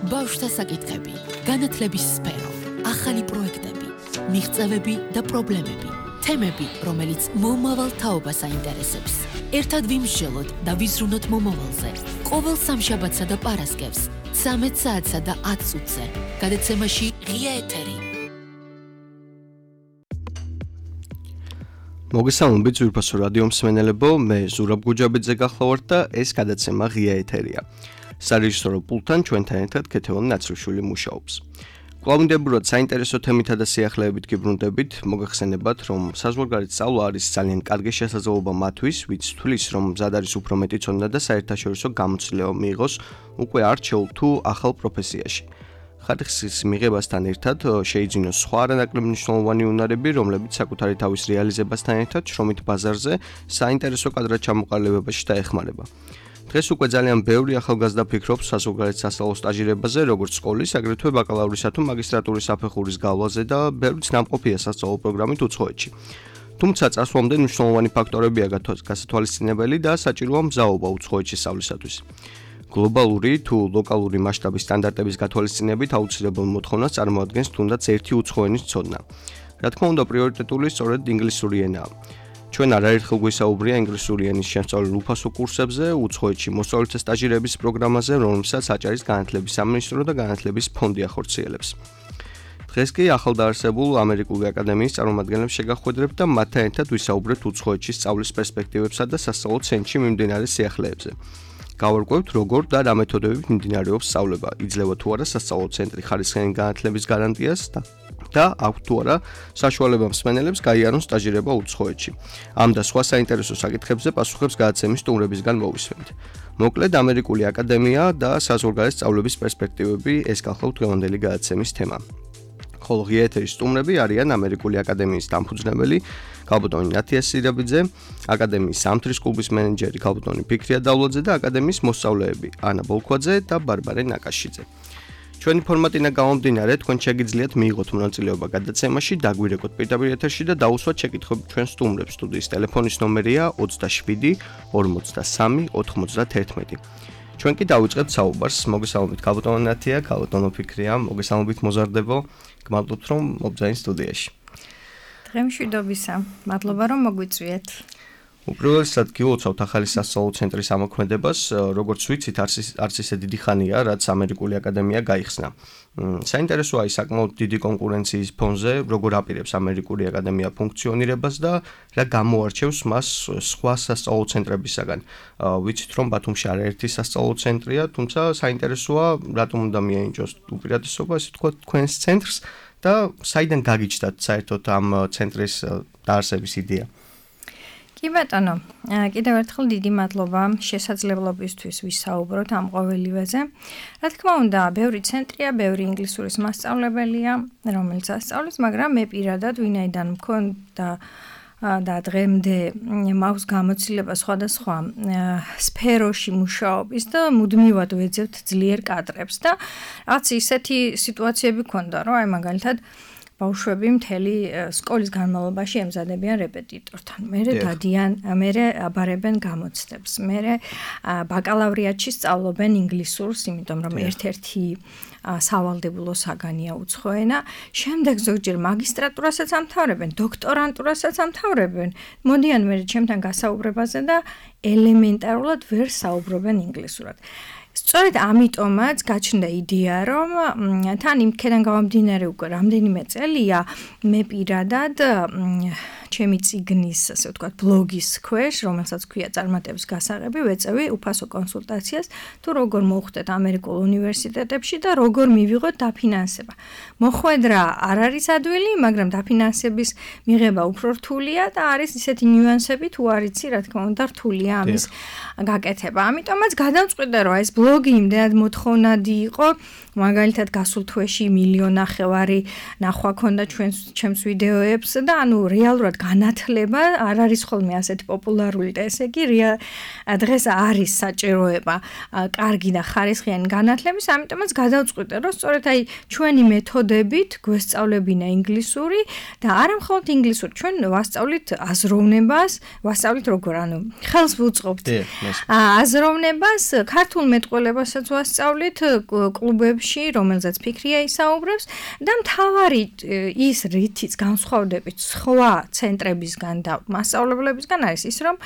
ბავშვთა საკითხები, განათლების სფერო, ახალი პროექტები, მიღწევები და პრობლემები, თემები, რომელიც მომავალ თაობას აინტერესებს. ერთად ვიმსჯელოთ და ვიზრუნოთ მომავალზე. ყოველ სამშაბათსა და პარასკევს, 13 საათსა და 10 წუთზე. გადაცემაში ღია ეთერი. მოგესალმებით ძვირფასო რადიო მსმენელებო, მე ზურაბ გუჯაბიძე გახლავართ და ეს გადაცემა ღია ეთერია. სარეჟისორო პულტთან ჩვენთან ერთად ქეთევან ნაცრიშვილი მუშაობს. კვლავინდებურად საინტერესო თემითა და სიახლეებით გიბრუნდებით, მოგეხსენებათ, რომ საზღვარგარეთ სწავლა არის ძალიან კარგი შესაძლებლობა მათთვის, ვინც თვლის, რომ მზად არის უფრო მეტი ცოდნა და საერთაშორისო გამოცდილება მიიღოს უკვე არჩეულ თუ ახალ პროფესიაში. ხარისხის მიღებასთან ერთად შეიძინოს სხვა არანაკლებ მნიშვნელოვანი უნარები, რომლებიც საკუთარი თავის რეალიზებასთან ერთად შრომით ბაზარზე საინტერესო კადრად ჩამოყალიბებაში დაეხმარება. დღეს უკვე ძალიან ბევრი ახალგაზრდა ფიქრობს საზღვარგარეთ სასწავლო სტაჟირებაზე, როგორც სკოლის, აგრეთვე ბაკალავრისა თუ მაგისტრატურის საფეხურის გავლაზე და ბევრიც ნამყოფია სასწავლო პროგრამით უცხოეთში. თუმცა წასვლამდე მნიშვნელოვანი ფაქტორებია გასათვალისწინებელი და საჭიროა მზაობა უცხოეთში სწავლისათვის. გლობალური თუ ლოკალური მასშტაბის სტანდარტების გათვალისწინებით აუცილებელ მოთხოვნას წარმოადგენს თუნდაც ერთი უცხოენის ცოდნა. რა თქმა უნდა, პრიორიტეტული სწორედ ინგლისური ენაა. ჩვენ არაერთხელ გვისაუბრია ინგლისური ენის შემსწავლელ უფასო კურსებზე, უცხოეთში მოსწავლეთა სტაჟირების პროგრამაზე, რომელსაც აჭარის განათლების სამინისტრო და განათლების ფონდი ახორციელებს. დღეს კი ახალდაარსებულ ამერიკული აკადემიის წარმომადგენლებს შეგახვედრებთ და მათთან ერთად ვისაუბრებთ უცხოეთში სწავლის პერსპექტივებსა და სასწავლო ცენტრში მიმდინარე სიახლეებზე. გავარკვევთ, როგორ და რა მეთოდებით მიმდინარეობს სწავლება, იძლევა თუ არა სასწავლო ცენტრი ხარისხიანი განათლების გარანტიას და აქვს თუ არა საშუალება მსმენელებს გაიარონ სტაჟირება უცხოეთში. ამ და სხვა საინტერესო საკითხებზე პასუხებს გადაცემის სტუმრებისგან მოვისმენთ. მოკლედ, ამერიკული აკადემია და საზღვარგარეთ სწავლების პერსპექტივები ეს გახლავთ დღევანდელი გადაცემის თემა. ხოლო ღია ეთერის სტუმრები არიან ამერიკული აკადემიის დამფუძნებელი ქალბატონი ნათია სირაბიძე, აკადემიის სამთრის კლუბის მენეჯერი ქალბატონი ფიქრია დავლაძე და აკადემიის მოსწავლეები ანა ბოლქვაძე და ბარბარე ნაკაშიძე. ჩვენი ფორმატინა გამომდინარე, თქვენ შეგიძლიათ მიიღოთ მონაწილეობა გადაცემაში, დაგვირეკოთ პირდაპირ ეთერში და დაუსვათ შეკითხვები ჩვენ სტუმრებს. სტუდიის ტელეფონის ნომერია 27 43 91. ჩვენ კი დავიწყებთ საუბარს. მოგესალმებით ქალბატონო ნათია, ქალბატონო ფიქრია, მოგესალმებით მოზარდებო. გმადლობთ, რომ მობძაინ სტუდიაში. დღემშვიდობისა. მადლობა, რომ მოგვიწვიეთ. უპირველესად გილოცავთ ახალი სასწავლო ცენტრის ამოქმედებას, როგორც ვიცით, არც ისე დიდი ხანია, რაც ამერიკული აკადემია გაიხსნა. საინტერესოა ის საკმაოდ დიდი კონკურენციის ფონზე, როგორ აპირებს ამერიკული აკადემია ფუნქციონირებას და რა გამოარჩევს მას სხვა სასწავლო ცენტრებისაგან. ვიცით, რომ ბათუმში არაერთი სასწავლო ცენტრია, თუმცა საინტერესოა, რატომ უნდა მიენიჭოს უპირატესობა, ასე თქვა, თქვენს ცენტრს და საიდან გაგიჩნდათ საერთოდ ამ ცენტრის დაარსების იდეა? კი ბატონო, კიდევ ერთხელ დიდი მადლობა შესაძლებლობისთვის ვისაუბროთ ამ ყოველივეზე. რა თქმა უნდა, ბევრი ცენტრია, ბევრი ინგლისურის მასწავლებელია, რომელიც ასწავლის, მაგრამ მე პირადად ვინაიდან მქონდა და დღემდე მაქვს გამოცდილება სხვადასხვა სფეროში მუშაობის და მუდმივად ვეძებთ ძლიერ კადრებს და რაც ისეთი სიტუაციები ქონდა, რომ აი მაგალითად ბავშვები მთელი სკოლის განმავლობაში ემზადებიან რეპეტიტორთან. მერე დადიან, მერე აბარებენ გამოცდებს. მერე ბაკალავრიატში სწავლობენ ინგლისურს, იმიტომ რომ ერთ-ერთი სავალდებულო საგანია უცხო ენა. შემდეგ ზოგჯერ მაგისტრატურასაც ამთავრებენ, დოქტორანტურასაც ამთავრებენ. მოდიან მერე ჩემთან გასაუბრებაზე და ელემენტარულად ვერ საუბრობენ ინგლისურად. სწორედ ამიტომაც გაჩნდა იდეა, რომ თან იმქედან გამომდინარე უკვე რამდენიმე წელია მე პირადად ჩემი წიგნის, ასე ვთქვათ, ბლოგის ქვეშ, რომელსაც ქვია წარმატების გასაღები, ვეწევი უფასო კონსულტაციას, თუ როგორ მოვხვდეთ ამერიკულ უნივერსიტეტებში და როგორ მივიღოთ დაფინანსება. მოხვედრა არ არის ადვილი, მაგრამ დაფინანსების მიღება უფრო რთულია და არის ისეთი ნიუანსები, თუ არ იცი, რა თქმა უნდა, რთულია ამის გაკეთება. ამიტომაც გადავწყვიტე, რომ ეს ბლოგი იმდენად მოთხოვნადი იყო, მაგალითად გასულ თვეში 1.5 მილიონი ნახვა ქონდა ჩემს ვიდეოებს და ანუ რეალურად განათლება არ არის ხოლმე ასეთი პოპულარული და ესე იგი დღეს არის საჭიროება კარგი და ხარისხიანი განათლების, ამიტომაც გადავწყვიტე, რომ სწორედ აი ჩვენი მეთოდებით გვესწავლებინა ინგლისური და არა მხოლოდ ინგლისური, ჩვენ ვასწავლით აზროვნებას, ვასწავლით როგორ, ანუ ხელს ვუწყობთ აზროვნებას ქართულ მეტყველებასა მეტყველებასაც ვასწავლით კლუბებში, რომელზეც ფიქრია ისაუბრებს და მთავარი ის რითიც განსხვავდებით სხვა ცენტრებისგან და მასწავლებლებისგან არის ის, რომ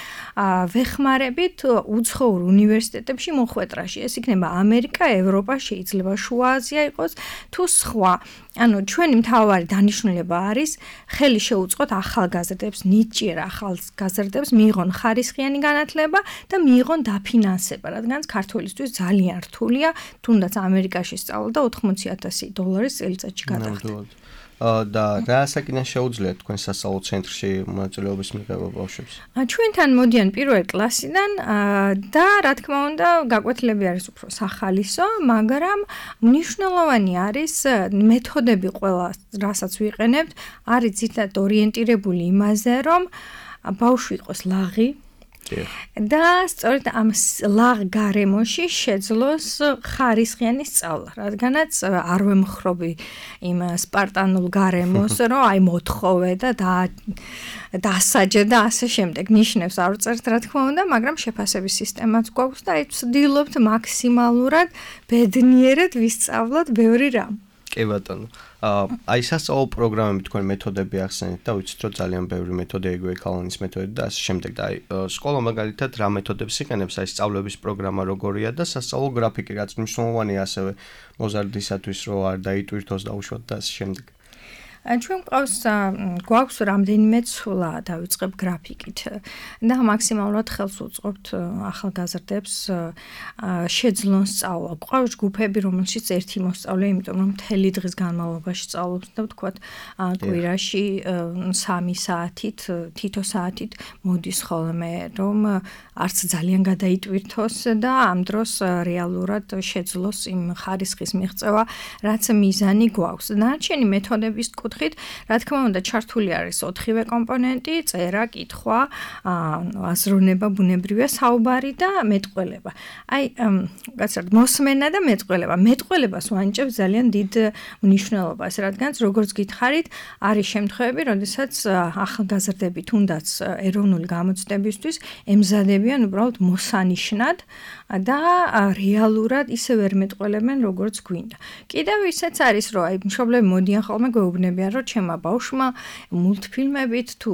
ვეხმარებით უცხოურ უნივერსიტეტებში მოხვედრაში. ეს იქნება ამერიკა, ევროპა, შეიძლება შუა აზია იყოს თუ სხვა. ანუ ჩვენი მთავარი დანიშნულება არის ხელი შეუწყოთ ახალგაზრდებს, ნიჭიერ ახალგაზრდებს მიიღონ ხარისხიანი განათლება და მიიღონ დაფინანსება, რადგან ქართველისთვის ძალიან რთულია, თუნდაც ამერიკაში სწავლა და $80,000 წელიწადში გადახდა. და რა საკითხი შეუძლიათ თქვენ სასწავლო ცენტრში მონაწილეობის მიღება ბავშვებს? ჩვენთან მოდიან პირველ კლასიდან და რა თქმა უნდა გაკვეთილები არის უფრო სახალისო, მაგრამ მნიშვნელოვანი არის მეთოდები ყველა, რასაც ვიყენებთ, არის ძირითადად ორიენტირებული იმაზე, რომ ბავშვი იყოს ლაღი და სწორედ ამ ლაღ გარემოში შეძლოს ხარისხიანი სწავლა, რადგანაც არ ვემხრობი იმ სპარტანულ გარემოს, რომ აი მოთხოვე და დასაჯე და ასე შემდეგ ნიშნებს არ ვწერთ, რა თქმა უნდა, მაგრამ შეფასების სისტემაც გვაქვს და აი ვცდილობთ მაქსიმალურად ბედნიერად ვისწავლოთ ბევრი რამ. კი ბატონო. აი სასწავლო პროგრამები თქვენ მეთოდები ახსენეთ და ვიცით რომ ძალიან ბევრი მეთოდი ეგრევე კალონის მეთოდი და ასე შემდეგ და აი სკოლა მაგალითად რა მეთოდებს იყენებს აი სწავლების პროგრამა როგორია და სასწავლო გრაფიკი რაც მნიშვნელოვანია ასევე მოზარდისათვის რომ არ დაიტვირთოს დაუშვათ და ასე შემდეგ. ჩვენ გვაქვს რამდენიმე ცვლა დავიწყებ გრაფიკით და მაქსიმალურად ხელს უწყობთ ახალგაზრდებს შეძლონ სწავლა. გვყავს ჯგუფები, რომელშიც ერთი მოსწავლე, იმიტომ რომ მთელი დღის განმავლობაში სწავლობს და ვთქვათ, კვირაში 3 საათით, თითო საათით მოდის ხოლმე, რომ არც ძალიან გადაიტვირთოს და ამ დროს რეალურად შეძლოს იმ ხარისხის მიღწევა, რაც მიზანი გვაქვს. დანარჩენი მეთოდების რა თქმა უნდა, ჩართული არის 4-ვე კომპონენტი, წერა, კითხვა, აზროვნება, ბუნებრივია, საუბარი და მეტყველება. აი, გასაგებად, მოსმენა და მეტყველება. მეტყველებას ვანიჭებს ძალიან დიდ მნიშვნელობას, რადგან როგორც გითხარით, არის შემთხვევები, როდესაც ახალგაზრდები თუნდაც ეროვნული გამოცდებისთვის ემზადებიან უბრალოდ მოსანიშნად და რეალურად ისე ვერ მეტყველებენ, როგორც გვინდა. კიდევ ისეც არის, რომ აი მშობლები მოდიან ხოლმე გვეუბნებიან, რომ ჩემმა ბავშვმა მულტფილმებით თუ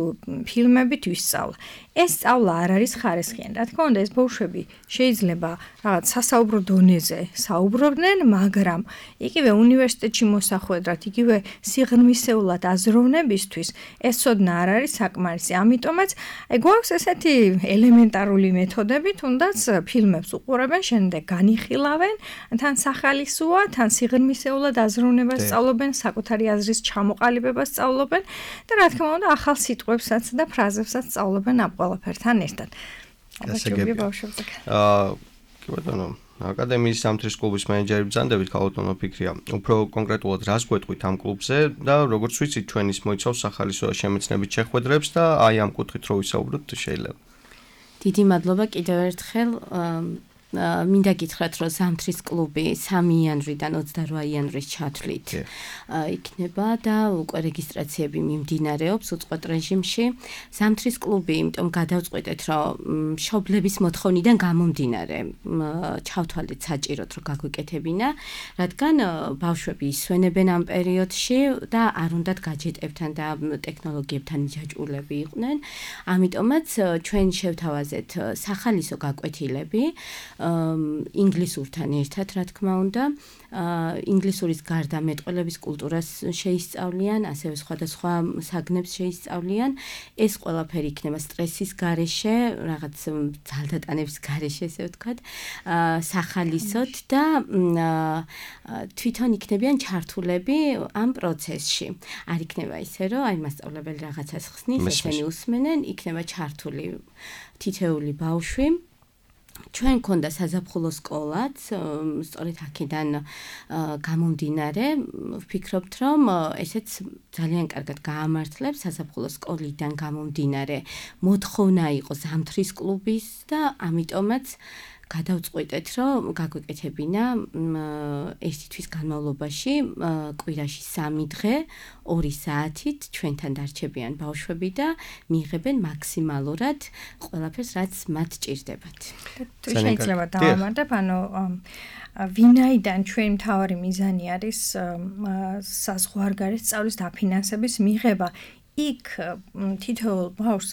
ფილმებით ვისწავლა. ეს სწავლა არ არის ხარისხიანი. რა თქმა უნდა, ეს ბავშვები შეიძლება რაღაც სასაუბრო დონეზე საუბრობდნენ, მაგრამ იგივე უნივერსიტეტში მოსახვედრად, იგივე სიღრმისეულად აზროვნებისთვის ეს ცოდნა არ არის საკმარისი. ამიტომაც გვაქვს ესეთი ელემენტარული მეთოდები, თუნდაც ფილმებს უყურებენ, შემდეგ განიხილავენ, თან სახალისოა, თან სიღრმისეულად აზროვნებას სწავლობენ, საკუთარი აზრის ჩამოყალიბებას სწავლობენ და რა თქმა უნდა, ახალ სიტყვებსაც და ფრაზებსაც სწავლობენ ამ ყველაფერთან ერთად. გასაგებია ბავშვებზე. კი ბატონო, აკადემიის ზამთრის კლუბის მენეჯერი ბრძანდებით ქალბატონო ფიქრია. უფრო კონკრეტულად რას გვეტყვით ამ კლუბზე და როგორც ვიცით, ჩვენ ის მოიცავს სახალისო შემეცნებით შეხვედრებს და აი ამ კუთხით რო ვისაუბროთ შეიძლება. დიდი მადლობა კიდევ ერთხელ. მინდა გითხრათ, რომ ზამთრის კლუბი 3 იანვრიდან 28 იანვრის ჩათვლით იქნება და უკვე რეგისტრაციები მიმდინარეობს უწყვეტ რეჟიმში. ზამთრის კლუბი, იმიტომ გადავწყვეტეთ, რომ მშობლების მოთხოვნიდან გამომდინარე ჩავთვალეთ საჭიროდ, რომ გაგვიკეთებინა, რადგან ბავშვები ისვენებენ ამ პერიოდში და არ უნდათ გაჯეტებთან და ტექნოლოგიებთან იჯაჭვულები იყვნენ. ამიტომაც ჩვენ შევთავაზეთ სახალისო გაკვეთილები ინგლისურთან ერთად, რა თქმა უნდა, ინგლისურის გარდა მეტყველების კულტურას შეისწავლიან, ასევე სხვადასხვა საგნებს შეისწავლიან. ეს ყველაფერი იქნება სტრესის გარეშე, რაღაც ძალდატანების გარეშე, ესე ვთქვათ, სახალისოდ და თვითონ იქნებიან ჩართულები ამ პროცესში. არ იქნება ისე, რომ აი მასწავლებელი რაღაცას ხსნის, ესენი უსმენენ, იქნება ჩართული თითეული ბავშვი. ჩვენ ქონდა საზაფხულო სკოლაც, სწორედ აქედან გამომდინარე, ვფიქრობთ, რომ ესეც ძალიან კარგად გაამართლებს საზაფხულო სკოლიდან გამომდინარე. მოთხოვნა იყო ზამთრის კლუბის და ამიტომაც გადავწყვიტეთ, რომ გაგვეკეთებინა ერთი თვის განმავლობაში კვირაში 3 დღე 2 საათით ჩვენთან დარჩებიან ბავშვები და მიიღებენ მაქსიმალურად ყველაფერს, რაც მათ ჭირდებათ. თუ შეიძლება დავამატებ, ვინაიდან ჩვენ მთავარი მიზანი არის საზღვარგარეთ სწავლის დაფინანსების მიღება, იქ თითოეულ ბავშვს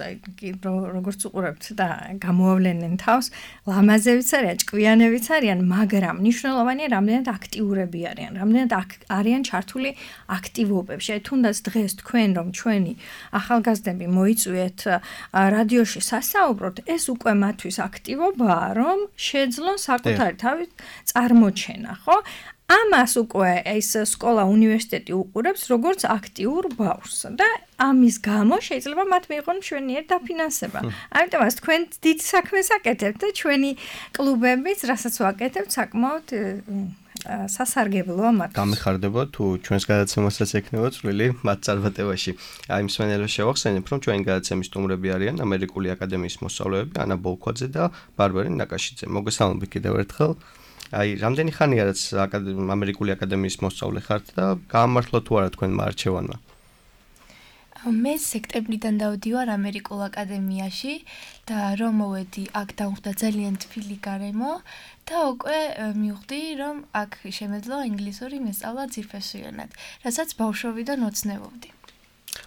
როგორც უყურებთ და გამოავლენენ თავს, ლამაზებიც არიან, ჭკვიანებიც არიან, მაგრამ მნიშვნელოვანია რამდენად აქტიურები არიან, რამდენად არიან ჩართული აქტივობებში. თუნდაც დღეს თქვენ რომ ჩვენი ახალგაზრდები მოიწვიეთ რადიოში სასაუბროთ, ეს უკვე მათთვის აქტივობაა, რომ შეძლონ საკუთარი თავის წარმოჩენა, ხო? ამას უკვე ეს სკოლა, უნივერსიტეტი უყურებს როგორც აქტიურ ბავშვს და ამის გამო შეიძლება მათ მიიღონ მშვენიერ დაფინანსება. ამიტომაც თქვენ დიდ საქმეს აკეთებთ და ჩვენი კლუბებიც, რასაც ვაკეთებთ, საკმაოდ სასარგებლოა მათ. გამიხარდება თუ ჩვენს გადაცემასაც ექნება წვლილი მათ წარმატებაში. აი მსმენელებს შევახსენებ, რომ ჩვენი გადაცემის სტუმრები არიან ამერიკული აკადემიის მოსწავლეები ანა ბოლქვაძე და ბარბარე ნაკაშიძე. მოგესალმებით კიდევ ერთხელ. აი, რამდენი ხანია რაც ამერიკული აკადემიის მოსწავლე ხართ და გაამართლა თუ არა თქვენმა არჩევანმა? მე სექტემბრიდან დავდივარ ამერიკულ აკადემიაში და რომ მოვედი, აქ დავხვდა ძალიან თბილი გარემო და უკვე მივხვდი, რომ აქ შემეძლო ინგლისური მესწავლა ძირფესვიანად, რასაც ბავშვობიდან ოცნებობდი.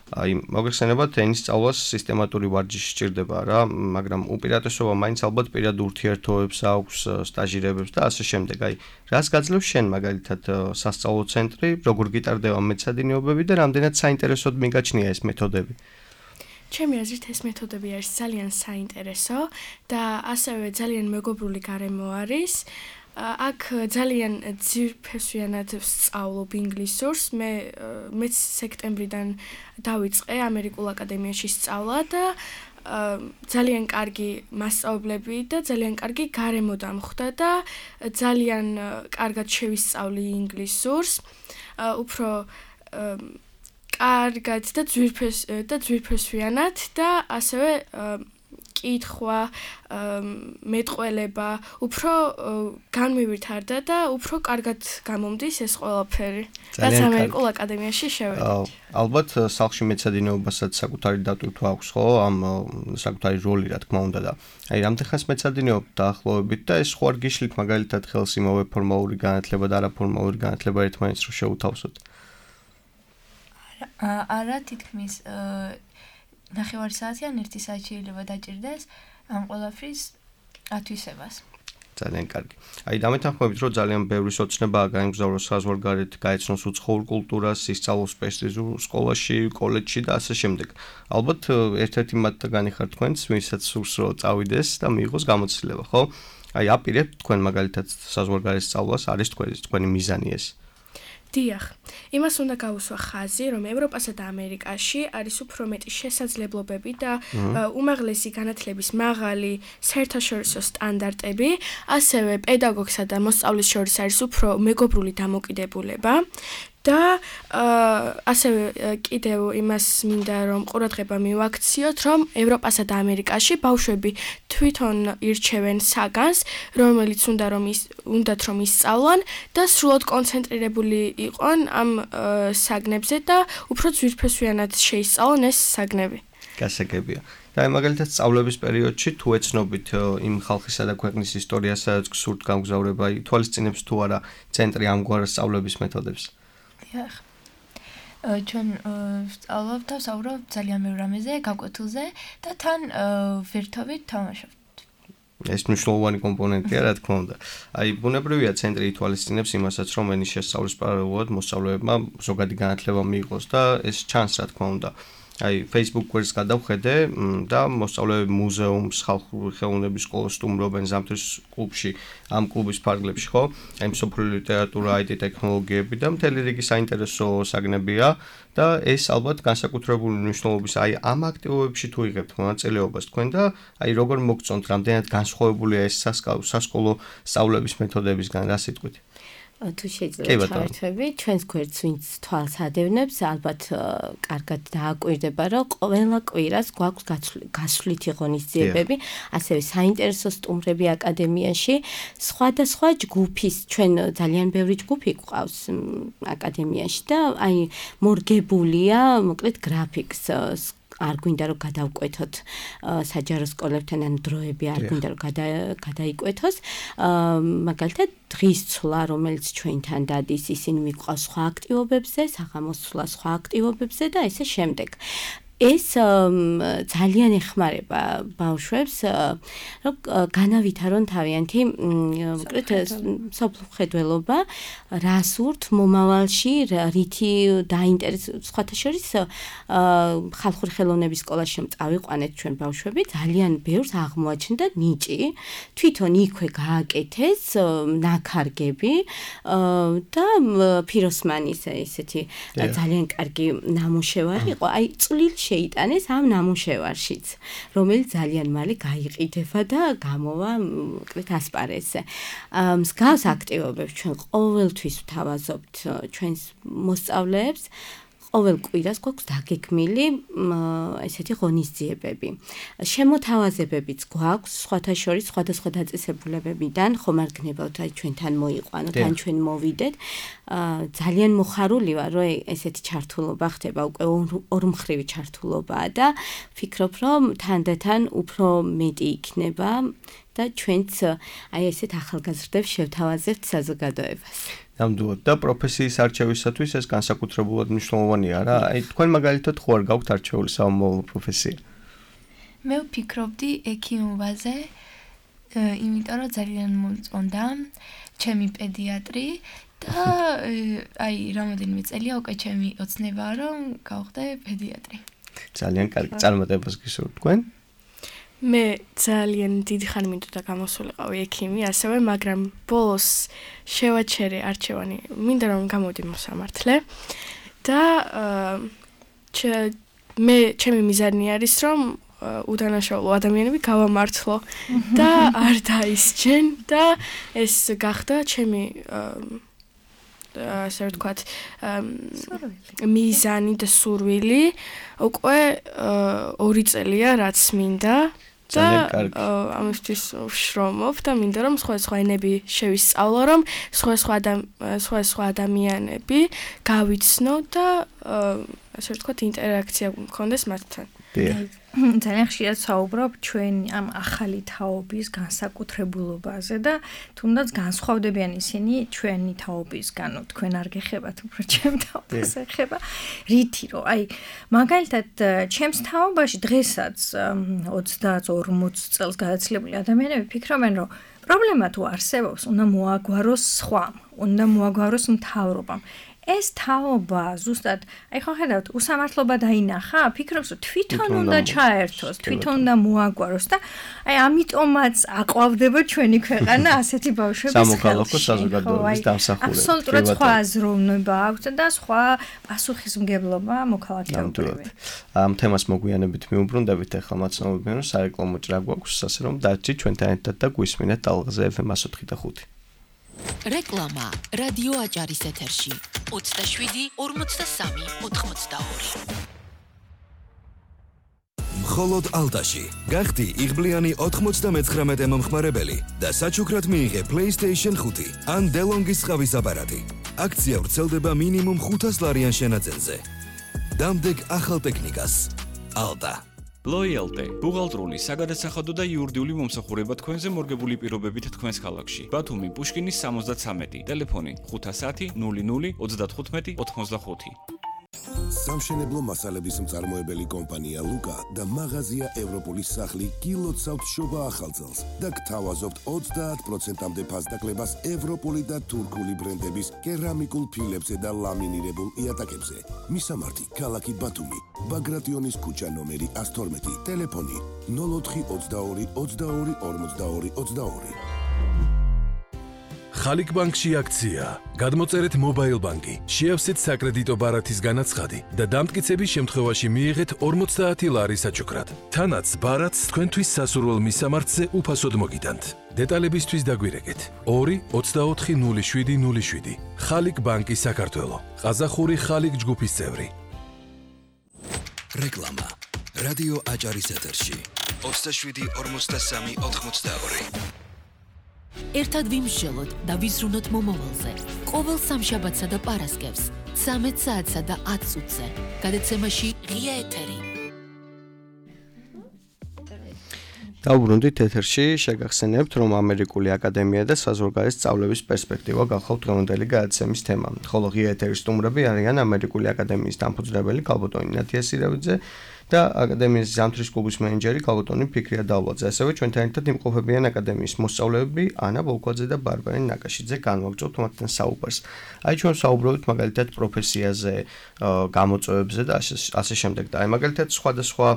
აი, მოგეხსენებათ, ენის სწავლას სისტემატური ვარჯიში სჭირდება რა, მაგრამ უპირატესობა მაინც ალბათ პირად ურთიერთობებს აქვს, სტაჟირებებს და ასე შემდეგ. აი, რას გაძლევს შენ მაგალითად სასწავლო ცენტრი, როგორ გიტარდება მეცადინეობები და რამდენად საინტერესოდ მიგაჩნია ეს მეთოდები? ჩემი აზრით ეს მეთოდები არის ძალიან საინტერესო და ასევე ძალიან მეგობრული გარემო არის. აქ ძალიან ძირფესვიანად ვსწავლობ ინგლისურს. მეც სექტემბრიდან დავიწყე ამერიკულ აკადემიაში სწავლა და ძალიან კარგი მასწავლებლები და ძალიან კარგი გარემო დამხვდა და ძალიან კარგად შევისწავლი ინგლისურს. უფრო კარგად და ძვირფესვიანად და ასევე კითხვა, მეტყველება, უფრო განმივირთარდა და უფრო კარგად გამომდის ეს ყველაფერი. რაც ამერიკულ აკადემიაში შევედი. ალბათ სახლში მეცადინეობასაც საკუთარი დატვირთვა აქვს, ხო? ამ საკუთარი როლი, რა თქმა უნდა და აი რამდენ ხანს მეცადინეობთ დაახლოებით და ეს ხო არ გიშლით მაგალითად ხელს იმავე ფორმალური განათლება და არაფორმალური განათლება ერთმანეთს რო შევთავსოთ? არა, თითქმის 9 საათი ან 1 საათი შეიძლება დაჭირდეს ამ ყველაფრის ათვისებას. ძალიან კარგი. აი დამეთანხმებით, რომ ძალიან ბევრი სოცნებაა გაემგზავროს საზღვარგარეთ, გაეცნოს უცხოურ კულტურას, ისწავლოს პრესტიჟულ სკოლაში, კოლეჯში და ასე შემდეგ. ალბათ ერთ-ერთი მათგანი ხარ თქვენც, ვისაც სურს რომ წავიდეს და მიიღოს გამოცდილება, ხო? აი აპირებთ თქვენ მაგალითად საზღვარგარეთ სწავლას, არის თქვენი მიზანი ეს? დიახ, იმას უნდა გავუსვა ხაზი, რომ ევროპასა და ამერიკაში არის უფრო მეტი შესაძლებლობები და უმაღლესი განათლების მაღალი საერთაშორისო სტანდარტები, ასევე პედაგოგსა და მოსწავლის შორის არის უფრო მეგობრული დამოკიდებულება და ასევე კიდევ იმას მინდა რომ ყურადღება მივაქციოთ, რომ ევროპასა და ამერიკაში ბავშვები თვითონ ირჩევენ საგანს, რომელიც უნდათ რომ ისწავლონ და სრულად კონცენტრირებული იყვნენ ამ საგნებზე და უფრო ძვირფესვიანად შეისწავლონ ეს საგნები. გასაგებია. და მაგალითად სწავლების პერიოდში თუ ეცნობით იმ ხალხისა და ქვეყნის ისტორიას, სადაც გსურთ გამგზავრება, ითვალისწინებს თუ არა ცენტრი ამგვარ სწავლების მეთოდებს? დიახ. ჩვენ ვსწავლობთ და ვსაუბრობთ ძალიან ბევრ რამეზე, გაკვეთილზე და თან ვერთობით თამაშობთ. ეს მნიშვნელოვანი კომპონენტია, რა თქმა უნდა. აი, ბუნებრივია ცენტრი ითვალისწინებს იმასაც, რომ ენის შესწავლის პარალელურად მოსწავლეებმა ზოგადი განათლება მიიღოს და ეს ჩანს, რა თქმა უნდა. აი, Facebook გვერდს გადავხედე და მოსწავლეები მუზეუმს, ხალხური ხელოვნების სკოლას სტუმრობენ ზამთრის კლუბში, ამ კლუბის ფარგლებში, ხო? აი, მსოფლიო ლიტერატურა, IT ტექნოლოგიები და მთელი რიგი საინტერესო საგნებია და ეს ალბათ განსაკუთრებული მნიშვნელობის, აი, ამ აქტივობებში თუ იღებთ მონაწილეობას თქვენ და აი, როგორ მოგწონთ, რამდენად განსხვავებულია ეს სასკოლო სწავლების მეთოდებისგან, რა სიტყვით? თუ შეიძლება ჩავერთვები, ჩვენს გვერდს ვინც თვალს ადევნებს, ალბათ კარგად დააკვირდება, რომ ყველა კვირას გვაქვს გასვლითი ღონისძიებები, ასევე საინტერესო სტუმრები აკადემიაში, სხვადასხვა ჯგუფის, ჩვენ ძალიან ბევრი ჯგუფი გვყავს აკადემიაში და აი მორგებულია, მოკლედ გრაფიკს არ გვინდა რომ გადავკვეთოთ საჯარო სკოლებთან ან დროები არ გვინდა რომ გადაიკვეთოს მაგალითად დღის ცვლა რომელიც ჩვენთან დადის ისინი მიყვავს სხვა აქტივობებზე საღამოს ცვლა სხვა აქტივობებზე და ესე შემდეგ ეს ძალიან ეხმარება ბავშვებს რომ განავითარონ თავიანთი მოკლედ სოფლმხედველობა რას ურთ მომავალში რითი დაინტერესებს სხვათა შორის ხალხური ხელოვნების სკოლაში წავიყვანეთ ჩვენ ბავშვები ძალიან ბევრს აღმოაჩნდა ნიჭი თვითონ იქვე გააკეთეს ნაქარგები და ფიროსმანის ესეთი ძალიან კარგი ნამუშევარი იყო აი წვლილი შეიტანეს ამ ნამუშევარშიც, რომელიც ძალიან მალე გაიყიდება და გამოვა მოკლედ ასპარეზზე. მსგავს აქტივობებს ჩვენ ყოველთვის ვთავაზობთ ჩვენს მოსწავლეებს, ყოველ კვირას გვაქვს დაგეგმილი ესეთი ღონისძიებები. შემოთავაზებებიც გვაქვს, სხვათა შორის სხვადასხვა დაწესებულებებიდან, ხომ არ გნებავთ აი ჩვენთან მოიყვანოთ, ან ჩვენ მოვიდეთ. ძალიან მოხარული ვარ, რომ ესეთი ჩართულობა ხდება, უკვე ორმხრივი ჩართულობაა და ვფიქრობ, რომ თანდათან უფრო მეტი იქნება და ჩვენც აი ესეთ ახალგაზრდებს შევთავაზებთ საზოგადოებას. ნამდვილად და პროფესიის არჩევისათვის ეს განსაკუთრებულად მნიშვნელოვანია რა. აი თქვენ მაგალითად ხო არ გაქვთ არჩეული სამომავლო პროფესია? მე ვფიქრობდი ექიმობაზე, იმიტომ რომ ძალიან მომწონდა ჩემი პედიატრი და აი რამოდენიმე წელია უკვე ჩემი ოცნებაა რომ გავხდე პედიატრი. ძალიან კარგი წარმატებას გისურვებთ თქვენ? მე ძალიან დიდი ხანი მინდოდა გამოსულიყავი ექიმი, ასევე მაგრამ ბოლოს შევაჩერე არჩევანი, მინდა რომ გამოვიდი მოსამართლე და ჩემი მიზანი არის რომ უდანაშაულო ადამიანები გავამართლო და არ დაისჯენ და ეს გახდა ჩემი ასე ვთქვათ მიზანი და სურვილი უკვე 2 წელია რაც მინდა და ამისთვის ვშრომობ და მინდა რომ სხვა ენები შევისწავლო რომ სხვა ადამიანები გავიცნო და ასე ვთქვათ ინტერაქცია მქონდეს მათთან. ძალიან ხშირად საუბრობ ჩვენ ამ ახალი თაობის განსაკუთრებულობაზე და თუნდაც განსხვავდებიან ისინი ჩვენი თაობისგან, თქვენ არ გეხებათ უფრო ჩემ თაობას ეხება. რითი რომ აი მაგალითად ჩემს თაობაში დღესაც 30-40 წელს გადაცილებული ადამიანები ფიქრობენ რომ პრობლემა თუ არსებობს, უნდა მოაგვაროს სხვამ, უნდა მოაგვაროს მთავრობამ. ეს თაობა ზუსტად, აი ხო ხედავთ, უსამართლობა დაინახა, ფიქრობს რომ თვითონ უნდა ჩაერთოს, თვითონ უნდა მოაგვაროს და აი ამიტომაც აყვავდება ჩვენი ქვეყანა ასეთი ბავშვების ხელში. სამოქალაქო საზოგადოების დამსახურება. აბსოლუტურად სხვა აზროვნება აქვს და სხვა პასუხისმგებლობა მოქალაქეობრივი. ამ თემას მოგვიანებით მიუბრუნდებით, ახლა მაცნობებიან რომ სარეკლამო ჭრა გვაქვს, ასე რომ დარჩით ჩვენთან ერთად და გვისმინეთ ტალღაზე FM 104.5. რეკლამა რადიო აჭარის ეთერში 27 43 82 მხოლოდ ალტაში გახდი იღბლიანი 99 მომხმარებელი და საჩუქრად მიიღე PlayStation 5 ან DeLonghi-ის ყავის აპარატი. აქცია ვრცელდება მინიმუმ 500 ლარიან შენაძენზე. დამდეგ ახალ ტექნიკას. ალტა. Loyalty, ბუღალტრული, საგადასახადო და იურიდიული მომსახურება თქვენზე მორგებული პირობებით თქვენს ქალაქში. ბათუმი, პუშკინის 73, ტელეფონი 510 00 35 85. სამშენებლო მასალების მწარმოებელი კომპანია ლუკა და მაღაზია ევროპულის სახლი გილოცავთ შობა ახალწელს და გთავაზობთ 30%-მდე ფასდაკლებას ევროპული და თურქული ბრენდების კერამიკულ ფილებზე და ლამინირებულ იატაკებზე. მისამართი ქალაქი ბათუმი, ბაგრატიონის ქუჩა ნომერი 112, ტელეფონი 04 22 22 42 22. ხალიქ ბანკში აქცია. გადმოწერეთ მობაილ ბანკი, შეავსეთ საკრედიტო ბარათის განაცხადი და დამტკიცების შემთხვევაში მიიღეთ 50 ლარი საჩუქრად. თანაც ბარათს თქვენთვის სასურველ მისამართზე უფასოდ მოგიტანთ. დეტალებისთვის დაგვირეკეთ 2-24-07-07. ხალიქ ბანკი საქართველო. ყაზახური ხალიქ ჯგუფის წევრი. რეკლამა. რადიო აჭარის ეთერში. 27-43-82. ერთად ვიმსჯელოთ და ვიზრუნოთ მომავალზე. ყოველ სამშაბათსა და პარასკევს 13 საათსა და 10 წუთზე. გადაცემაში ღია ეთერი. დავბრუნდით ეთერში, შეგახსენებთ, რომ ამერიკული აკადემია და საზღვარგარეთ სწავლების პერსპექტივა გახლავთ დღევანდელი გადაცემის თემა. ხოლო ღია ეთერის სტუმრები არიან ამერიკული აკადემიის დამფუძნებელი ქალბატონი ნათია სირავიძე და აკადემიის ზამთრის კლუბის მენეჯერი ქალბატონი ფიქრია დავლაძე. ასევე ჩვენთან ერთად იმყოფებიან აკადემიის მოსწავლეები ანა ბოლქვაძე და ბარბარე ნაკაშიძე. განვაგრძობთ მათთან საუბარს. აი ჩვენ საუბრობთ მაგალითად პროფესიაზე, გამოწვევებზე და ასე შემდეგ. და აი მაგალითად სხვადასხვა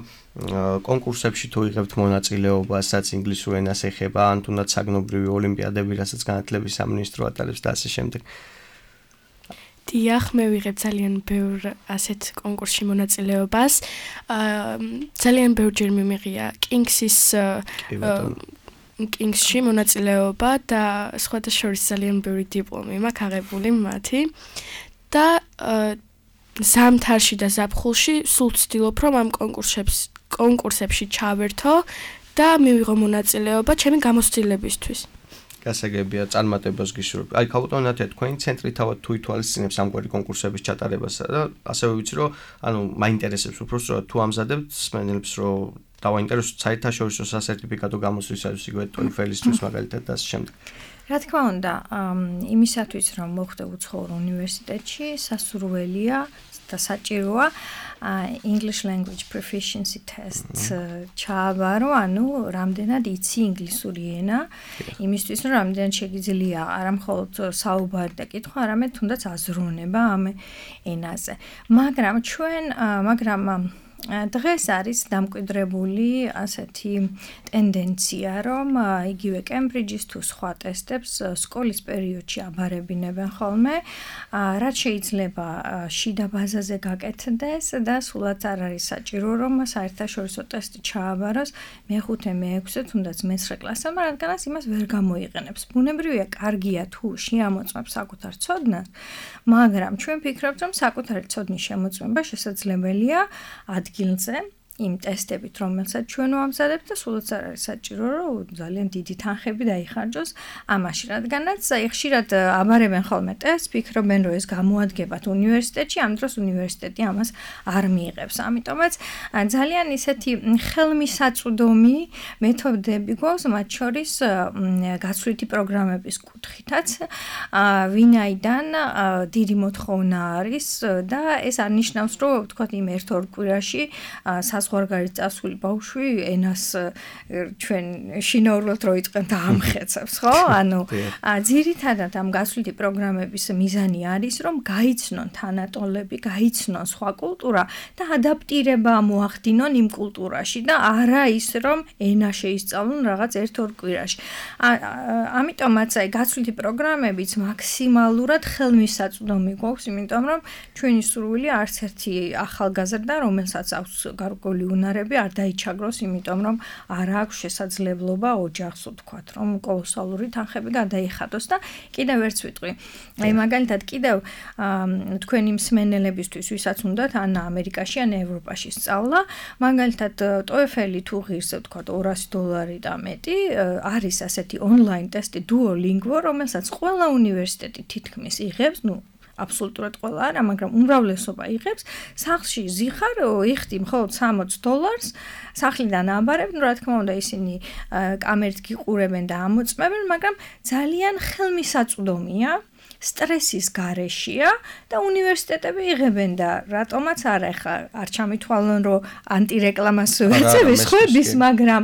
კონკურსებში თუ იღებთ მონაწილეობას, რაც ინგლისურ ენას ეხება, ან თუნდაც საგნობრივი ოლიმპიადები, რასაც განათლების სამინისტრო ატარებს და ასე შემდეგ. დიახ, მე ვიღებ ძალიან ბევრ ასეთ კონკურსში მონაწილეობას. ძალიან ბევრჯერ მიმიღია Kings-ში მონაწილეობა და სხვადასხვა ძალიან ბევრი დიპლომი მაქვს აღებული მათი. და ზამთარში და ზაფხულში სულ ვცდილობ, რომ ამ კონკურსებში ჩავერთო და მივიღო მონაწილეობა ჩემი გამოცდილებისთვის. გასაგებია, წარმატებას გისურვებ. აი ქალბატონი ნათია, თქვენი ცენტრი თავად თუ ითვალისწინებს ამგვარი კონკურსების ჩატარებასა და ასევე ვიცი, რომ მაინტერესებს უბრალოდ თუ ამზადებთ სმენელებს, რომ დავაინტერესოთ საერთაშორისო სასერტიფიკატო გამოსვლისათვის, იგივე TOEFL-ისთვის მაგალითად და ასე შემდეგ. რა თქმა უნდა, იმისათვის რომ მოხდე უცხოურ უნივერსიტეტში, სასურველია და საჭიროა English language proficiency test ჩააბარო, ანუ რამდენად იცი ინგლისური ენა, იმისთვის რომ რამდენად შეგიძლია არა მხოლოდ საუბარი და კითხვა, არამედ თუნდაც აზროვნება ამ ენაზე. მაგრამ დღეს არის დამკვიდრებული ასეთი ტენდენცია, რომ იგივე კემბრიჯის თუ სხვა ტესტებს სკოლის პერიოდში აბარებინებენ ხოლმე, რაც შეიძლება შიდა ბაზაზე გაკეთდეს და სულაც არ არის საჭირო, რომ საერთაშორისო ტესტი ჩააბაროს მე-5, მე-6, თუნდაც მე-9 კლასებმა, რადგანაც იმას ვერ გამოიყენებს. ბუნებრივია, კარგია თუ შეამოწმებს საკუთარ ცოდნას, მაგრამ ჩვენ ვფიქრობთ, რომ საკუთარი ცოდნის შემოწმება შესაძლებელია ადგილზე იმ ტესტებით, რომელსაც ჩვენ ვამზადებთ და სულაც არ არის საჭირო, რომ ძალიან დიდი თანხები დაიხარჯოს ამაში, რადგანაც ხშირად აბარებენ ხოლმე ტესტს, ფიქრობენ, რომ ეს გამოადგებათ უნივერსიტეტში, ამ დროს უნივერსიტეტი ამას არ მიიღებს. ამიტომაც ძალიან ისეთი ხელმისაწვდომი მეთოდები გვაქვს, მათ შორის გაცვლითი პროგრამების კუთხითაც, ვინაიდან დიდი მოთხოვნა არის და ეს არ ნიშნავს, რომ ვთქვათ, იმ 1-2 კვირაში საზღვარგარეთ წასული ბავშვი ენას ჩვენ შინაურულად რო იწყენ და ამხეცებს, ხო? ანუ ძირითადად ამ გასვლითი პროგრამების მიზანი არის, რომ გაიცნონ თანატოლები, გაიცნონ სხვა კულტურა და ადაპტირება მოახდინონ იმ კულტურაში და არა ის, რომ ენა შეისწავლონ რაღაც 1-2 კვირაში. ამიტომაც აი გასვლითი პროგრამებიც მაქსიმალურად ხელმისაწვდომი გვაქვს, იმიტომ რომ ჩვენი სურვილი არც ერთი ახალგაზრდა, რომელსაც აქვს გარკვეული უნარები არ დაიჩაგროს, იმიტომ რომ არ აქვს შესაძლებლობა ოჯახს ვთქვათ, რომ კოლოსალური თანხები გადაიხადოს და კიდევ ერთს ვიტყვი. აი მაგალითად კიდევ თქვენი მსმენელებისთვის, ვისაც უნდათ ან ამერიკაში, ან ევროპაში სწავლა, მაგალითად TOEFL-ი თუ ღირს ვთქვათ $200 და მეტი, არის ასეთი ონლაინ ტესტი Duolingo, რომელსაც ყველა უნივერსიტეტი თითქმის იღებს, აბსოლუტურად ყველა არა, მაგრამ უმრავლესობა იღებს. სახლში ზიხარ, იხდი მხოლოდ $60, სახლიდან აბარებ, რა თქმა უნდა ისინი კამერით გიყურებენ და ამოწმებენ, მაგრამ ძალიან ხელმისაწვდომია სტრესის გარეშეა და უნივერსიტეტები იღებენ და რატომაც არა ხა არ ჩამithვალონ რომ ანტირეკლამას ვეცების ხვების მაგრამ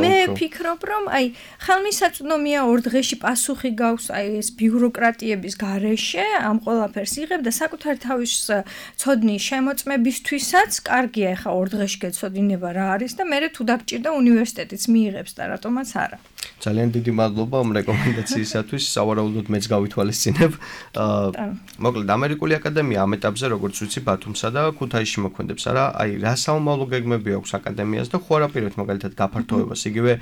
მე ვფიქრობ რომ აი ხელმისაწვდომია ორ დღეში პასუხი გაქვს აი ეს ბიუროკრატიების გარეშე ამ ყველაფერს იღებ და საკუთარ თავის ცოდნის შემოწმებისთვისაც კარგია ხა ორ დღეში გეცოდინება რა არის და მე თუ დაგჭირდა უნივერსიტეტიც მიიღებს და რატომაც არა ძალიან დიდი მადლობა ამ რეკომენდაციისათვის სავარაუდოდ მეც გავითვალისწინებ მოკლედ ამერიკული აკადემია ამ ეტაპზე როგორც ვიცი ბათუმსა და ქუთაისში მოქმედებს არა აი რა საომავლო გეგმები აქვს აკადემიას და ხო არაპირებთ მაგალითად გაფართოებას იგივე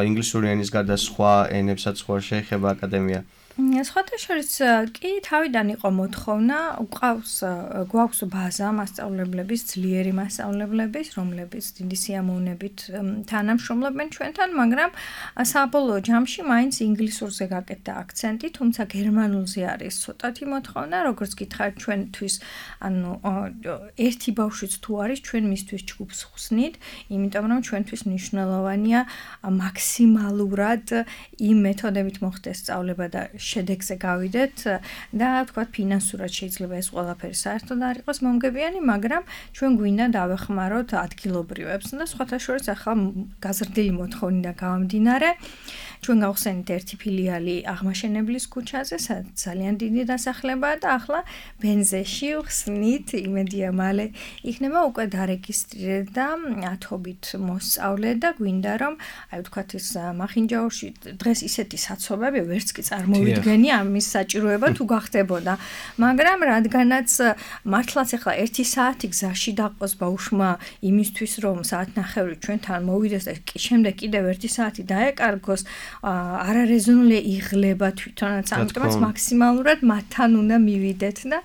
ინგლისური ენის გარდა სხვა ენებსაც ხო შეეხება აკადემია სხვათა შორის კი თავიდან იყო მოთხოვნა გვაქვს ბაზა მასწავლებლების ძლიერი მასწავლებლების რომლებიც დიდი სიამოვნებით თანამშრომლობენ ჩვენთან მაგრამ საბოლოო ჯამში მაინც ინგლისურზე გაკეთდა აქცენტი თუმცა გერმანულზე არის ცოტათი მოთხოვნა როგორც გითხარით ჩვენთვის ანუ ერთი ბავშვიც თუ არის ჩვენ მისთვის ჯგუფს ხსნით იმიტომ რომ ჩვენთვის მნიშვნელოვანია მაქსიმალურად იმ მეთოდებით მოხდეს სწავლება და შედეგზე გავიდეთ და თქვა ფინანსურად შეიძლება ეს ყველაფერი საერთოდ არ იყოს მომგებიანი, მაგრამ ჩვენ გვინდა დავეხმაროთ ადგილობრივებს და სხვათა შორის ახლა გაზრდილი მოთხოვნიდან გამომდინარე ჩვენ გავხსენით ერთი ფილიალი აღმაშენებლის ქუჩაზე, ძალიან დიდი დასახლებაა და ახლა ბენზეში ვხსნით, იმედია მალე იქნება უკვე დარეგისტრირეთ და ათობით მოსწავლე და გვინდა რომ აი ვთქვათ ეს მახინჯაურში დღეს ისეთი საცობები ვერც კი წარმოვიდგენი ამის საჭიროება თუ გახდებოდა, მაგრამ რადგანაც მართლაც ახლა 1 საათი გზაში დაყოს ბავშვმა იმისთვის რომ საათნახევრი ჩვენთან მოვიდეს და შემდეგ კიდევ 1 საათი დაეკარგოს არარეზონული იღლება თვითონაც ამიტომაც მაქსიმალურად მათთან უნდა მივიდეთ და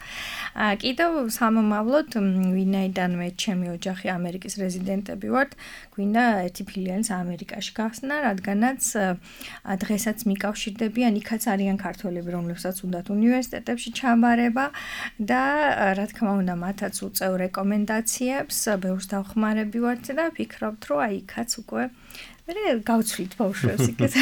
კიდევ სამომავლოდ ვინაიდან მე ჩემი ოჯახი ამერიკის რეზიდენტები ვართ გვინდა ერთი ფილიალის ამერიკაში გახსნა რადგანაც დღესაც მიკავშირდებიან იქაც არიან ქართველები რომლებსაც უნდათ უნივერსიტეტებში ჩაბარება და რა თქმა უნდა მათაც უწევ რეკომენდაციებს ბევრს დავხმარები ვართ და ვფიქრობთ რომ აი იქაც უკვე გავცვლით ბავშვებს იქეთ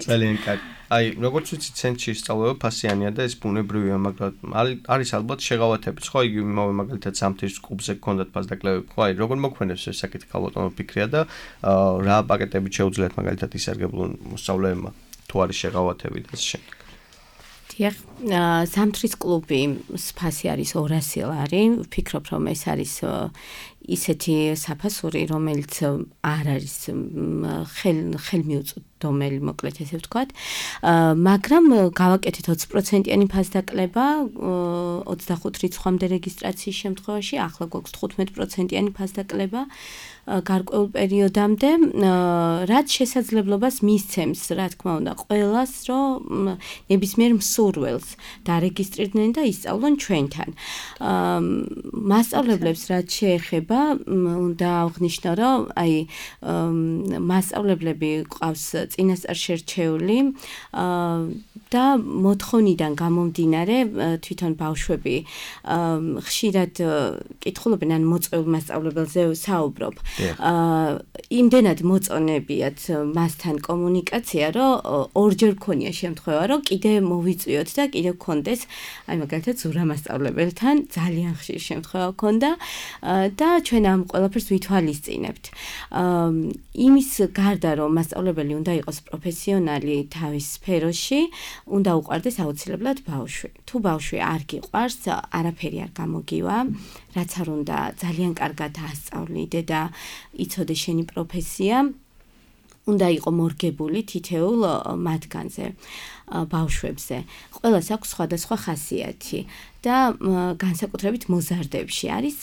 ძალიან კარგი. აი, როგორც ვიცი, ცენტრში სწავლება ფასიანია და ეს ბუნებრივია, მაგრამ არის ალბათ შეღავათებიც, ხო, იგი იმავე მაგალითად სამთის კლუბზე გქონდათ ფასდაკლებები, ხო, აი, როგორ მოქმედებს ეს საკითხი ალბათ ფიქრია და რა პაკეტები შეუძლიათ მაგალითად ისარგებლონ მოსწავლეებმა, თუ არის შეღავათები და ასე შემდეგ. დიახ, სამთრის კლუბი ფასი არის 200 ლარი, ვფიქრობ რომ ეს არის ისეთი საფასური, რომელიც არ არის ხელმიუწვდომელი, მოკლედ ესე ვთქვათ. მაგრამ გავაკეთეთ 20%-იანი ფასდაკლება 25 რიცხვამდე რეგისტრაციის შემთხვევაში, ახლა გვაქვს 15%-იანი ფასდაკლება გარკვეულ პერიოდამდე, რაც შესაძლებლობას მისცემს, რა თქმა უნდა, ყველას, რომ ნებისმიერ მსურველს დარეგისტრირდნენ და ისწავლონ ჩვენთან. მასწავლებლებს რაც შეეხება, უნდა აღნიშნო, რომ აი მასწავლებლები ყავს წინასწარ შერჩეული და მოთხოვნიდან გამომდინარე თვითონ ბავშვები ხშირად კითხულობენ ან მოწვეულ მასწავლებელზე საუბრობ. იმდენად მოწონებიათ მასთან კომუნიკაცია, რომ ორჯერ ქონია შემთხვევა, რომ კიდე მოვიწვიოთ და კიდე გქონდეს, აი მაგალითად ზურა მასწავლებელთან ძალიან ხშირ შემთხვევა ქონდა და ჩვენ ამ ყველაფერს ვითვალისწინებთ. იმის გარდა რომ მასწავლებელი უნდა იყოს პროფესიონალი თავის სფეროში, უნდა უყვარდეს აუცილებლად ბავშვი. თუ ბავშვი არ გიყვარს, არაფერი არ გამოგივა, რაც არ უნდა ძალიან კარგად ასწავლიდე და იცოდე შენი პროფესია, უნდა იყო მორგებული თითეულ მათგანზე, ბავშვებზე. ყველას აქვს სხვადასხვა ხასიათი და განსაკუთრებით მოზარდებში არის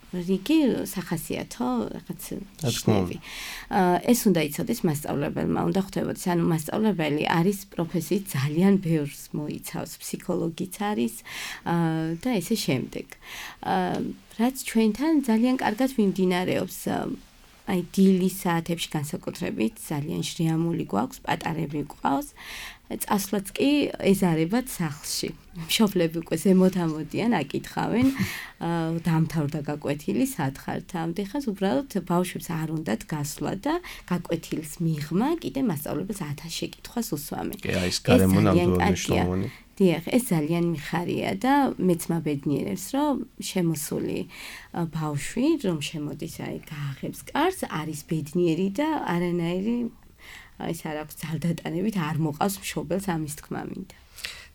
რიგი სახასიათო რაღაც ნიშნები. ეს უნდა იცოდეს მასწავლებელმა, უნდა ხვდებოდეს, ანუ მასწავლებელი არის პროფესიით ძალიან ბევრს მოიცავს, ფსიქოლოგიც არის და ესე შემდეგ. რაც ჩვენთან ძალიან კარგად მიმდინარეობს აი დილის საათებში განსაკუთრებით ძალიან შრიამული გვაქვს, პატარები გვყავს. წასვლაც კი ეზარებათ სახლში. მშობლები უკვე ზემოთ ამოდიან, აკითხავენ, დამთავრდა გაკვეთილი, სად ხართ ამდენ, უბრალოდ ბავშვებს არ უნდათ გასვლა და გაკვეთილის მიღმა კიდე მასწავლებელს 1000 შეკითხვას უსვამენ. კი, აი ეს გარემო ნამდვილად მნიშვნელოვანი. დიახ, ეს ძალიან მიხარია და მეც მაბედნიერებს, რომ შემოსული ბავშვი, რომ შემოდის გააღებს კარს, არის ბედნიერი და არანაირი ეს არ აქვს ძალდატანებით არ მოყავს მშობელს ამის თქმა მინდა.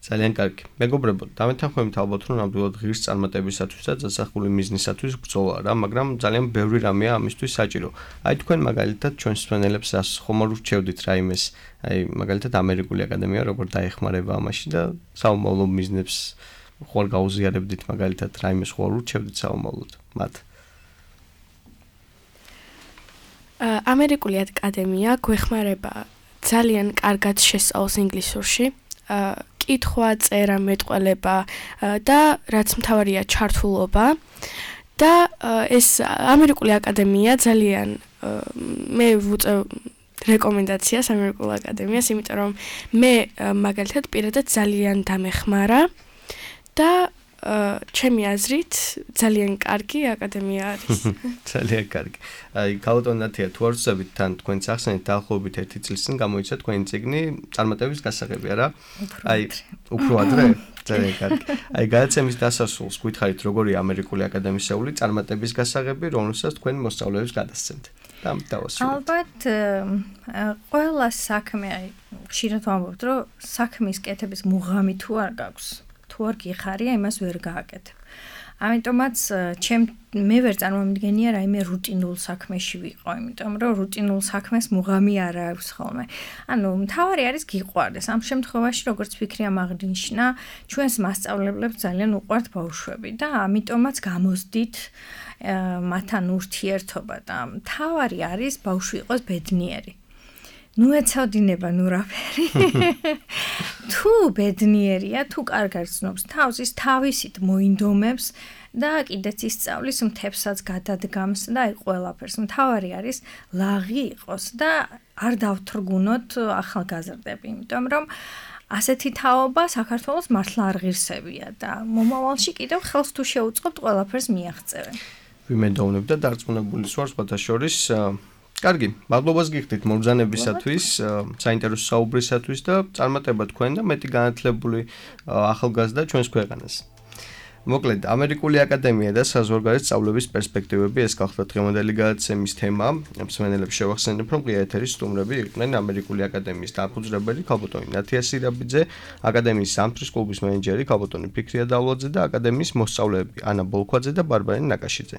ძალიან კარგი. მეგობრებო, დამეთანხმებით ალბათ რომ ნამდვილად ღირს წარმატებისათვის და დასახული მიზნისათვის ბრძოლა რა, მაგრამ ძალიან ბევრი რამეა ამისთვის საჭირო. აი თქვენ მაგალითად ჩვენს მსმენელებს ხომ არ ურჩევდით რაიმეს, აი მაგალითად ამერიკული აკადემია როგორ დაეხმარება ამაში და საომავლო მიზნებს ხوار გაუზიარებდით მაგალითად რაიმეს ხوار ურჩევდით საომავლოდ მათ. ამერიკული აკადემია გვეხმარება ძალიან კარგად შესწავლს ინგლისურში. კითხვა, წერა, მეტყველება და რაც მთავარია ჩართულობა და ეს ამერიკული აკადემია ძალიან მე ვუწევ რეკომენდაციას ამერიკულ აკადემიას, იმიტომ რომ მე მაგალითად პირადად ძალიან დამეხმარა და ჩემი აზრით ძალიან კარგი აკადემია არის. ძალიან კარგი. აი გაუტონათია თუ არ ვსწრებით თან თქვენს ახსენეთ დაახლოებით 1 წლის წინ გამოიცა თქვენი წიგნი წარმატების გასაღები არა? აი უფრო ადრე? ძალიან კარგი. აი გადაცემის დასასრულს გითხარით როგორია ამერიკული აკადემიისეული წარმატების გასაღები, რომელსაც თქვენ მოსწავლეებს გადასცემთ. და დავასრულოთ. ალბათ ყველა საქმე აი ხშირად ვამბობთ რომ საქმის კეთების მუღამი თუ არ გაქვს თუ არ გიხარია, იმას ვერ გააკეთებ. ამიტომაც მე ვერ წარმომიდგენია რაიმე რუტინულ საქმეში ვიყო, იმიტომ რომ რუტინულ საქმეს მუღამი არ აქვს ხოლმე. ანუ მთავარი არის გიყვარდეს. ამ შემთხვევაში როგორც ფიქრი ამაღნიშნა, ჩვენს მასწავლებლებს ძალიან უყვართ ბავშვები და ამიტომაც გამოსდით მათთან ურთიერთობა და მთავარი არის ბავშვი იყოს ბედნიერი. ნუ ეცოდინება ნუ რაფერი. თუ ბედნიერია, თუ კარგად ცნობს თავს, ის თავისით მოინდომებს და კიდეც ისწავლის მთებსაც გადადგამს და აი ყველაფერს. მთავარი არის ლაღი იყოს და არ დავთრგუნოთ ახალგაზრდები, იმიტომ რომ ასეთი თაობა საქართველოს მართლა არ ღირსებია და მომავალში კიდევ ხელს თუ შეუწყობთ ყველაფერს მიაღწევენ. ვიმედოვნებ და დარწმუნებული ვარ სხვათა შორის კარგი, მადლობას გიხდით მობრძანებისათვის, საინტერესო საუბრისათვის და წარმატება თქვენ და მეტი განათლებული ახალგაზრდა ჩვენს ქვეყანას. მოკლედ, ამერიკული აკადემია და საზღვარგარეთ სწავლების პერსპექტივები ეს გახლდათ დღევანდელი გადაცემის თემა. მსმენელებს შევახსენებ, რომ ღია ეთერის სტუმრები იყვნენ ამერიკული აკადემიის დამფუძნებელი ქალბატონი ნათია სირაბიძე, აკადემიის ზამთრის კლუბის მენეჯერი ქალბატონი ფიქრია დავლაძე და აკადემიის მოსწავლეები ანა ბოლქვაძე და ბარბარე ნაკაშიძე.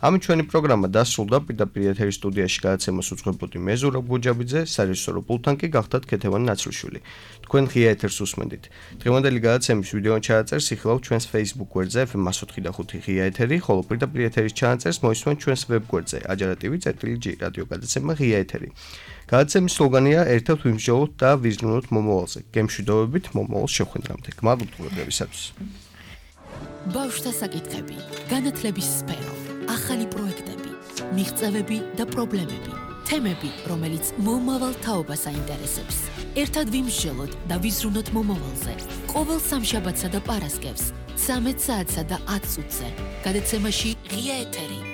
ამით ჩვენი პროგრამა დასრულდა. პირდაპირ ეთერის სტუდიაში გადაცემას უძღვებოდი მე ზურაბ გუჯაბიძე, სარეჟისორო პულტთან კი გახლდათ ქეთევან ნაცრუშვილი. თქვენ ღია ეთერს უსმენდით. დღევანდელი გადაცემის ვიდეო ჩააწერს იხილავთ ჩვენს Facebook გვერდზე FM104.5 ღია ეთერი, ხოლო პირდაპირ ეთერის ჩააწერს მოისმენთ ჩვენს ვებ გვერდზე ajarativi.g რადიო გადაცემა ღია ეთერი. გადაცემის სლოგანია ერთად ვიმსჯელოთ და ვიზრუნოთ მომავალზე. გემშვიდობებით მომავალს შეხვედრამდე. გმადლობთ ყურებისათვის. ბავშვთა საკითხები, განათლების სფერო, ახალი პროექტები, მიღწევები და პრობლემები, თემები, რომელიც მომავალ თაობას აინტერესებს. ერთად ვიმსჯელოთ და ვიზრუნოთ მომავალზე. ყოველ სამშაბათსა და პარასკევს 13 საათსა და 10 წუთზე. გადაცემაში ღია ეთერი.